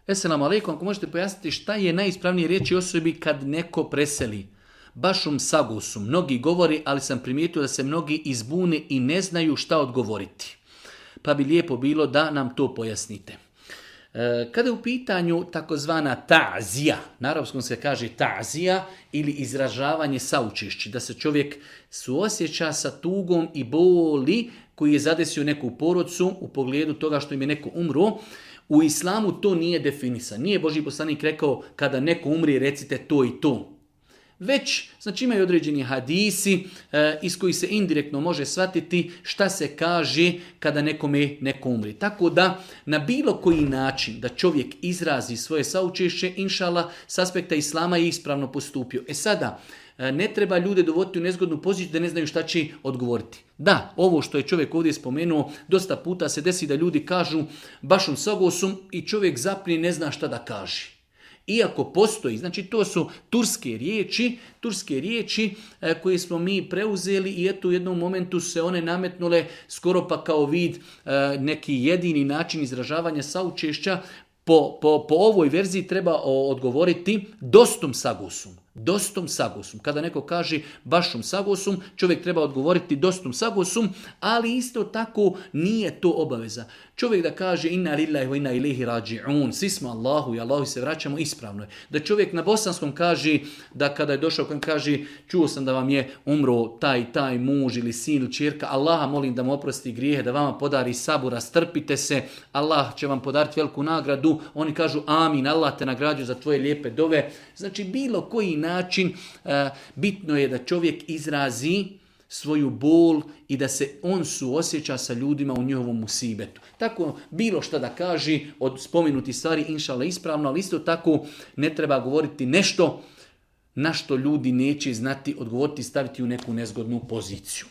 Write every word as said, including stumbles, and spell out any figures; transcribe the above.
Esselamu alaikum, ako možete pojasniti šta je najispravnije riječi osobi kad neko preseli. Bašum sagusum. Mnogi govori, ali sam primijetio da se mnogi izbune i ne znaju šta odgovoriti. Pa bi lijepo bilo da nam to pojasnite. E, kada je u pitanju takozvana ta'zija, na arapskom se kaže ta'zija ili izražavanje saučešći, da se čovjek suosjeća sa tugom i boli koji je zadesio neku porodcu u pogledu toga što im je neko umro. U islamu to nije definisano. Nije Božji poslanik rekao kada neko umri recite to i to. Već, znači imaju određeni hadisi e, iz kojih se indirektno može shvatiti šta se kaže kada nekome neko umri. Tako da na bilo koji način da čovjek izrazi svoje saučešće, inšala, s aspekta islama je ispravno postupio. E sada, e, ne treba ljude dovoditi u nezgodnu poziciju da ne znaju šta će odgovoriti. Da, ovo što je čovjek ovdje spomenuo, dosta puta se desi da ljudi kažu bašum sagosum i čovjek zapne i ne zna šta da kaže. Iako postoji, znači to su turske riječi, turske riječi e, koje smo mi preuzeli i eto u jednom momentu se one nametnule skoro pa kao vid e, neki jedini način izražavanja saučešća. Po, po, po ovoj verziji treba odgovoriti dostum sagusum. Dostum sagusum. Kada neko kaže bašum sagusum, čovjek treba odgovoriti dostum sagusum, ali isto tako nije to obaveza. Čovjek da kaže inna lillahi wa inna ilaihi rađi'un, svi smo Allahu i Allahu se vraćamo, ispravno je. Da čovjek na bosanskom kaže, da kada je došao kada kaže čuo sam da vam je umro taj taj muž ili sin ili ćerka, Allaha molim da mu oprosti grijehe, da vama podari sabura, strpite se, Allah će vam podariti veliku nagradu. Oni kažu amin, Allah te nagrađuje za tvoje lijepe dove. Znači bilo koji način uh, bitno je da čovjek izrazi svoju bol i da se on suosjeća sa ljudima u njihovom musibetu. Tako bilo šta da kaže od spomenuti stvari inšala ispravno, ali isto tako ne treba govoriti nešto na što ljudi neće znati odgovoriti i staviti u neku nezgodnu poziciju.